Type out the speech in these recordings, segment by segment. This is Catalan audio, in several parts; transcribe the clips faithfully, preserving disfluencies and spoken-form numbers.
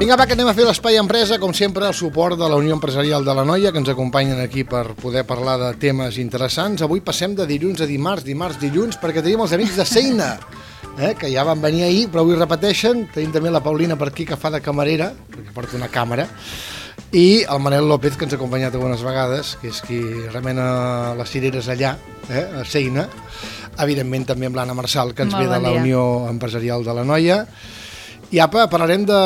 Vinga, va, que anem a fer l'Espai Empresa, com sempre, el suport de la Unió Empresarial de l'Anoia, que ens acompanyen aquí per poder parlar de temes interessants. Avui passem de dilluns a dimarts, dimarts, dilluns, perquè tenim els amics de Seina, eh, que ja van venir ahir, però avui repeteixen. Tenim també la Paulina per aquí, que fa de camarera, perquè porta una càmera, i el Manel López, que ens ha acompanyat algunes vegades, que és qui remena les cireres allà, eh, a Seina. Evidentment també amb l'Anna Marçal, que ens Molt ve de bon la dia. Unió Empresarial de l'Anoia. I apa, parlarem de,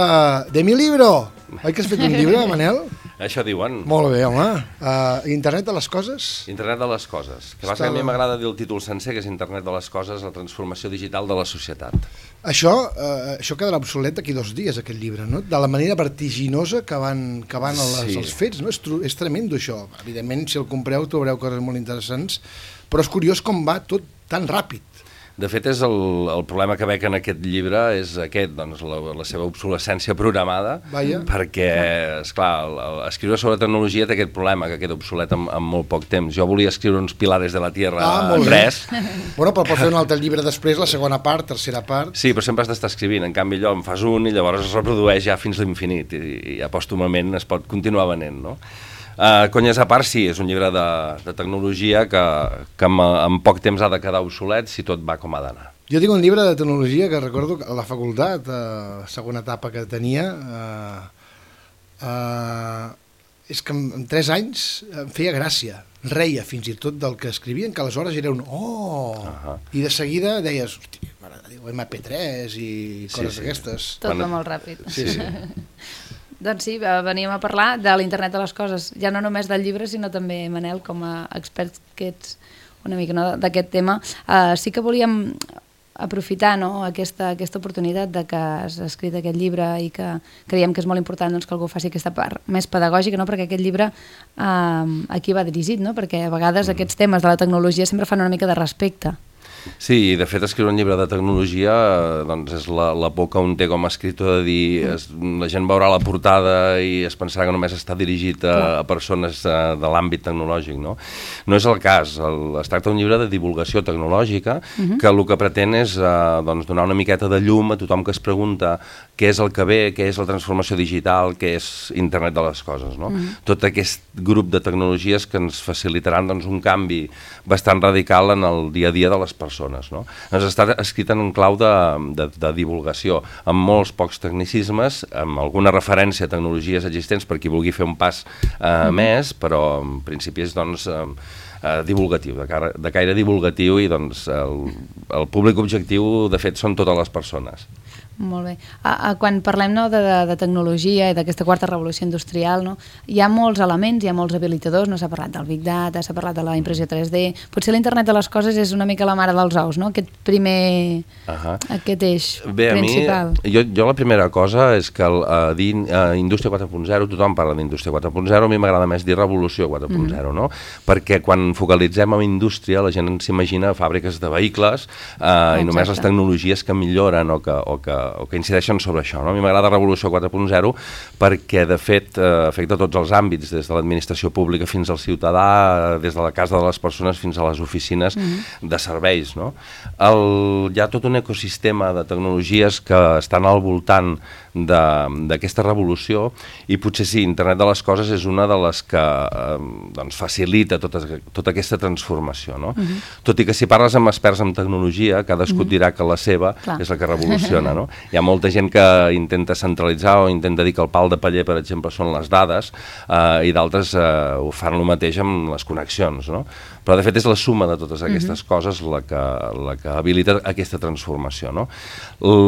de mi libro. Oi que has fet un llibre, Manel? Això diuen. Molt bé, home. Uh, Internet de les coses? Internet de les coses. Que Està bàsicament a mi la- m'agrada dir el títol sencer, que és Internet de les coses, la transformació digital de la societat. Això, uh, això quedarà obsolet d'aquí dos dies, aquest llibre, no? De la manera vertiginosa que van, que van les, Sí. els fets, no? És, tru- és tremendo, això. Evidentment, si el compreu, trobareu coses molt interessants, però és curiós com va tot tan ràpid. De fet, és el, el problema que veig en aquest llibre és aquest, doncs, la, la seva obsolescència programada, Vaja. perquè, esclar, el, el, escriure sobre tecnologia té aquest problema, que queda obsolet en, en molt poc temps. Jo volia escriure uns pilares de la Tierra Ah, en molt bé. res. Bueno, però pots fer un altre llibre després, la segona part, tercera part. Sí, però sempre has d'estar escrivint. En canvi, allò en fas un i llavors es reprodueix ja fins l'infinit i, i ja pòstumament es pot continuar venent, no? Uh, conyes a part, sí, és un llibre de, de tecnologia que, que en, en poc temps ha de quedar obsolet si tot va com ha d'anar. Jo tinc un llibre de tecnologia que recordo que a la facultat, a la segona etapa que tenia, eh, eh, és que en, en tres anys em feia gràcia, reia fins i tot del que escrivien, que aleshores era un oh, Ahà. i de seguida deies, hosti, mare de Déu, ema pe tres i Sí, coses sí. d'aquestes. Tot Quan- va molt ràpid. Sí, sí. Doncs sí, eh, veníem a parlar de l'internet de les coses, ja no només del llibre, sinó també, Manel, com a expert que ets una mica no, d'aquest tema. Uh, sí que volíem aprofitar no, aquesta, aquesta oportunitat de que has escrit aquest llibre i que creiem que és molt important doncs, que algú faci aquesta part més pedagògica, no? Perquè aquest llibre uh, a qui va dirigit, no? Perquè a vegades mm. aquests temes de la tecnologia sempre fan una mica de respecte. Sí, i de fet escriure un llibre de tecnologia eh, doncs és la, la por que un té com a escriptor de dir es, la gent veurà la portada i es pensarà que només està dirigit a, a persones eh, de l'àmbit tecnològic, no? No és el cas, el, es tracta d'un llibre de divulgació tecnològica uh-huh. que el que pretén és eh, doncs, donar una miqueta de llum a tothom que es pregunta què és el que ve, què és la transformació digital, què és internet de les coses, no? Uh-huh. Tot aquest grup de tecnologies que ens facilitaran doncs, un canvi bastant radical en el dia a dia de les persones. Persones, no? Ens està escrit en un clau de, de, de divulgació, amb molts pocs tecnicismes, amb alguna referència a tecnologies existents per qui vulgui fer un pas eh, mm. més, però en principi és doncs, eh, eh, divulgatiu, de, cara, de caire divulgatiu i doncs, el, el públic objectiu de fet són totes les persones. Molt bé. A, a, quan parlem no, de, de, de tecnologia i d'aquesta quarta revolució industrial, no, hi ha molts elements, hi ha molts habilitadors, no s'ha parlat del Big Data, s'ha parlat de la impressió tres D, potser l'internet de les coses és una mica la mare dels ous, no? Aquest primer, uh-huh. aquest eix Bé, principal. A mi, jo, jo la primera cosa és que el, a dir uh, indústria quatre punt zero, tothom parla d'indústria quatre punt zero, a mi m'agrada més dir revolució quatre punt zero, mm-hmm. no? Perquè quan focalitzem en indústria la gent s'imagina fàbriques de vehicles uh, i només les tecnologies que milloren o que, o que o que incideixen sobre això, no? A mi m'agrada Revolució quatre punt zero perquè, de fet, eh, afecta tots els àmbits, des de l'administració pública fins al ciutadà, des de la casa de les persones fins a les oficines mm-hmm. de serveis, no? El, hi ha tot un ecosistema de tecnologies que estan al voltant d'aquesta revolució i potser sí, Internet de les coses és una de les que eh, doncs facilita tota, tota aquesta transformació, no? Mm-hmm. Tot i que si parles amb experts en tecnologia, cadascú mm-hmm. dirà que la seva Clar. És la que revoluciona, no? Hi ha molta gent que intenta centralitzar o intenta dir que el pal de paller, per exemple, són les dades eh, i d'altres eh, ho fan el mateix amb les connexions, no? Però de fet és la suma de totes aquestes mm-hmm. coses la que, la que habilita aquesta transformació, no?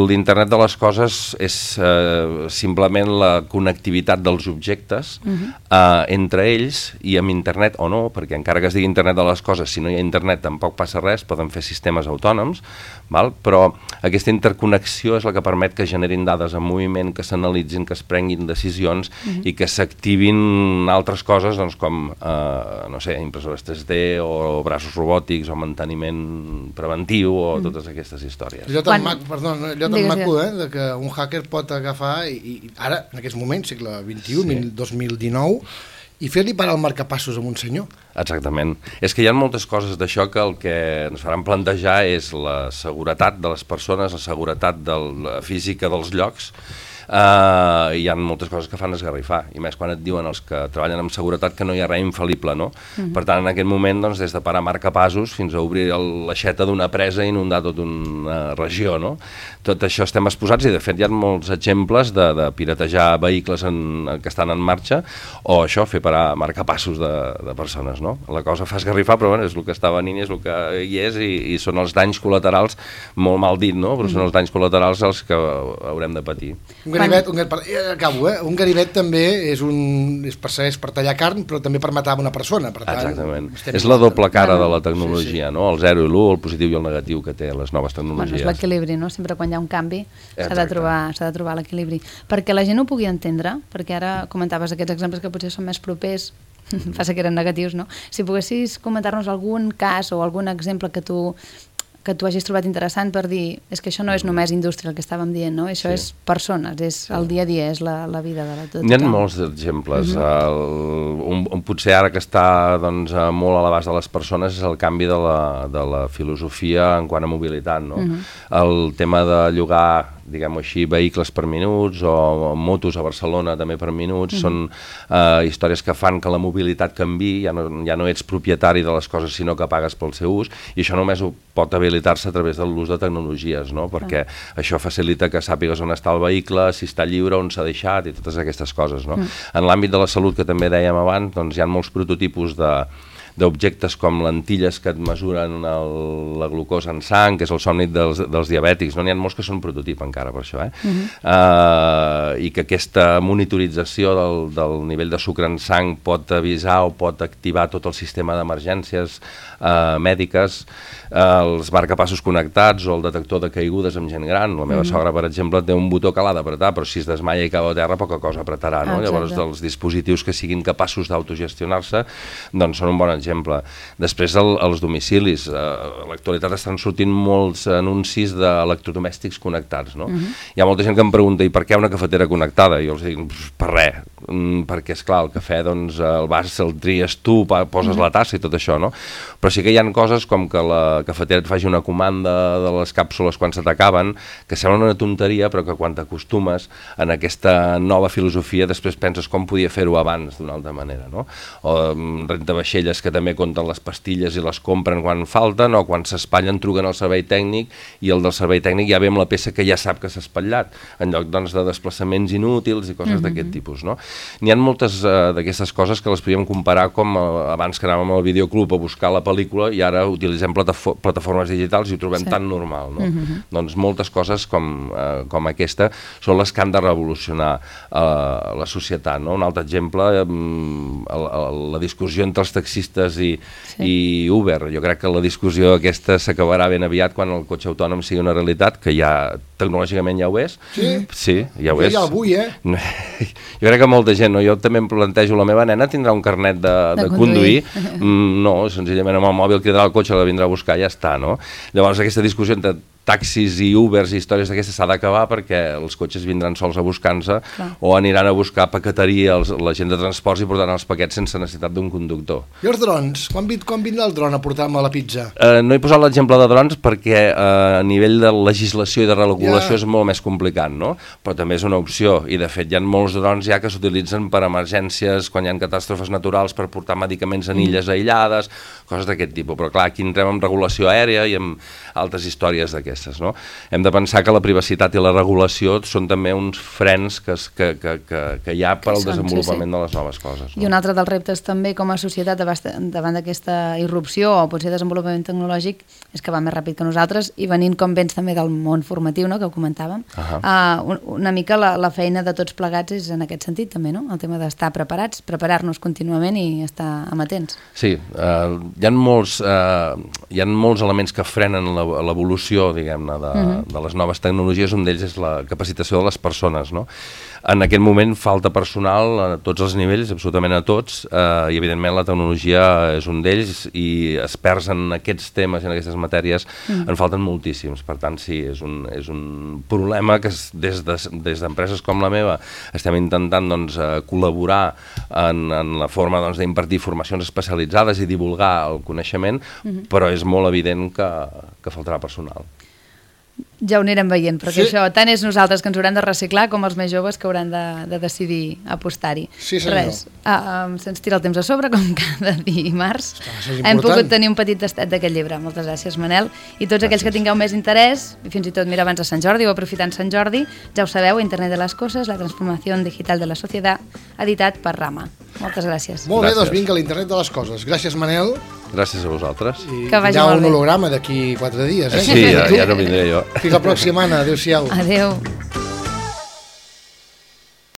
L'internet de les coses és eh, simplement la connectivitat dels objectes mm-hmm. eh, entre ells i amb internet o no, perquè encara que es digui internet de les coses, si no hi ha internet tampoc passa res, poden fer sistemes autònoms, val? Però aquesta interconnexió és la que permet que generin dades en moviment, que s'analitzin, que es prenguin decisions mm-hmm. i que s'activin altres coses doncs, com eh, no sé, impressores tres D o braços robòtics o manteniment preventiu o mm. totes aquestes històries. Allò tan, Quan... maco, perdó, allò tan maco, eh, de que un hacker pot agafar i, i ara, en aquests moments, segle vint-i-u, sí. dos mil dinou, i fer-li parar el marcapassos a un senyor. Exactament. És que hi ha moltes coses d'això que el que ens faran plantejar és la seguretat de les persones, la seguretat de la física dels llocs, uh, hi ha moltes coses que fan esgarrifar, i més quan et diuen els que treballen amb seguretat que no hi ha res infal·lible, no? Mm-hmm. Per tant, en aquest moment, doncs, des de parar marcapassos fins a obrir el, l'aixeta d'una presa i inundar tota una regió, no? Tot això estem exposats, i de fet hi ha molts exemples de, de piratejar vehicles en, que estan en marxa, o això, fer parar marcapassos de, de persones, no? La cosa fa esgarrifar, però bueno, és el que està venint, és el que hi és, i, i són els danys col·laterals, molt mal dit, no? Però són els danys col·laterals els que haurem de patir. Un ganivet, un, acabo, eh? Un ganivet també és, un, és, per, és per tallar carn, però també per matar una persona. Per tant, exactament. És la doble cara de la tecnologia, sí, sí. No? El zero i l'u, el positiu i el negatiu que té les noves tecnologies. Bueno, és l'equilibri, no? Sempre quan hi ha un canvi s'ha de trobar, s'ha de trobar l'equilibri. Perquè la gent ho pugui entendre, perquè ara comentaves aquests exemples que potser són més propers, passa que eren negatius, no? Si poguessis comentar-nos algun cas o algun exemple que tu que tu hagis trobat interessant per dir, és que això no és només indústria el que estàvem dient, no? Això sí. És persones, és sí. El dia a dia, és la, la vida de la tot. N'hi ha molts exemples. Uh -huh. el, un, un, potser ara que està doncs, molt a l'abast de les persones és el canvi de la, de la filosofia en quant a mobilitat, no? Uh -huh. El tema de llogar, diguem-ho així, vehicles per minuts o motos a Barcelona també per minuts, uh -huh. són uh, històries que fan que la mobilitat canvi, ja no, ja no ets propietari de les coses sinó que pagues pel seu ús, i això només ho pot habilitar-se a través de l'ús de tecnologies, no? Perquè uh. això facilita que sàpigues on està el vehicle, si està lliure, on s'ha deixat i totes aquestes coses, no? Uh. En l'àmbit de la salut, que també dèiem abans, doncs hi ha molts prototipus de d'objectes com lentilles que et mesuren el, la glucosa en sang, que és el somni dels, dels diabètics, no? N'hi ha molts que són prototip encara per això, eh? Uh-huh. uh, i que aquesta monitorització del, del nivell de sucre en sang pot avisar o pot activar tot el sistema d'emergències uh, mèdiques, uh, els marcapassos connectats o el detector de caigudes amb gent gran. La meva uh-huh. sogra, per exemple, té un botó que l'ha d'apretar, però si es desmaia i cau a terra, poca cosa apretarà, no? Ah, llavors, els dispositius que siguin capaços d'autogestionar-se, doncs són un bon exemple. Després el, els domicilis, eh, a l'actualitat estan sortint molts anuncis d'electrodomèstics connectats, no? Uh-huh. Hi ha molta gent que em pregunta, i per què una cafetera connectada? I jo els dic, per res, mm, perquè esclar, el cafè doncs el vas, el tries tu, poses uh-huh. la tassa i tot això, no? Però sí que hi ha coses com que la cafetera et faci una comanda de les càpsules quan se t'acaben, que sembla una tonteria, però que quan t'acostumes en aquesta nova filosofia després penses com podia fer-ho abans d'una altra manera, no? O um, rentavaixelles que també compten les pastilles i les compren quan falten, o quan s'espatllen truquen al servei tècnic i el del servei tècnic ja ve amb la peça que ja sap que s'ha espatllat, en lloc doncs, de desplaçaments inútils i coses mm-hmm. d'aquest tipus, no? N'hi ha moltes uh, d'aquestes coses que les podríem comparar com uh, abans que anàvem al videoclub a buscar la pel·lícula i ara utilitzem platafo plataformes digitals i ho trobem sí. tan normal, no? Mm-hmm. Doncs moltes coses com, uh, com aquesta són les que han de revolucionar uh, la societat, no? Un altre exemple, um, el, el, la discussió entre els taxistes i, sí. i Uber. Jo crec que la discussió aquesta s'acabarà ben aviat quan el cotxe autònom sigui una realitat, que ja tecnològicament ja ho és. Sí? Sí, ja ho jo és. Ja el vull, eh? Jo crec que molta gent, no? Jo també em plantejo, la meva nena tindrà un carnet de, de, de conduir. Mm, no, senzillament amb el mòbil cridarà el cotxe, la vindrà a buscar i ja està, no? Llavors aquesta discussió entre taxis i Ubers i històries d'aquestes s'ha d'acabar perquè els cotxes vindran sols a buscar-se o aniran a buscar paqueteria els, la gent de transports i portaran els paquets sense necessitat d'un conductor. I els drons? Quan, quan vindrà el dron a portar-me la pizza? Uh, no he posat l'exemple de drons perquè uh, a nivell de legislació i de regulació ja. és molt més complicat, no? Però també és una opció i de fet hi ha molts drons ja que s'utilitzen per emergències, quan hi ha catàstrofes naturals, per portar medicaments en illes mm. aïllades, coses d'aquest tipus. Però clar, aquí entrem en regulació aèria i en altres històries d'aquestes. No? Hem de pensar que la privacitat i la regulació són també uns frens que, que, que, que, que hi ha per al desenvolupament sí, sí. de les noves coses. No? I un altre dels reptes també com a societat davant d'aquesta irrupció o potser desenvolupament tecnològic és que va més ràpid que nosaltres i venint com vens també del món formatiu, no? Que ho comentàvem, uh, un, una mica la, la feina de tots plegats és en aquest sentit també, no? El tema d'estar preparats, preparar-nos contínuament i estar amatents. Sí, uh, hi ha molts, uh, hi ha molts elements que frenen l'evolució, diguem-ne, de, uh-huh. de les noves tecnologies. Un d'ells és la capacitació de les persones, no? En aquest moment falta personal a tots els nivells, absolutament a tots, eh, i evidentment la tecnologia és un d'ells i experts en aquests temes i en aquestes matèries uh-huh. en falten moltíssims. Per tant, sí, és un, és un problema que des de, des d'empreses com la meva estem intentant doncs, col·laborar en, en la forma doncs, d'impartir formacions especialitzades i divulgar el coneixement, uh-huh. però és molt evident que, que faltarà personal. Ja ho anirem veient, perquè Sí. això tant és nosaltres que ens haurem de reciclar com els més joves que hauran de, de decidir apostar-hi. Sí, senyor. Res, uh, um, se'ns tira el temps a sobre, com cada dimarts. això és Hem important. pogut tenir un petit tastet d'aquest llibre. Moltes gràcies, Manel. I tots aquells que tingueu més interès, i fins i tot, mira, abans de Sant Jordi o aprofitant Sant Jordi, ja ho sabeu, Internet de les Coses, la transformació digital de la societat, editat per Rama. Moltes gràcies. Molt bé, Gràcies. doncs vinga, l'Internet de les Coses. Gràcies, Manel. Gràcies a vosaltres. I Que vagi hi ha molt un bé. holograma d'aquí quatre dies, eh? Sí, ja, ja no vindré jo. Fins la pròxima, Anna. Adéu-siau. Adéu.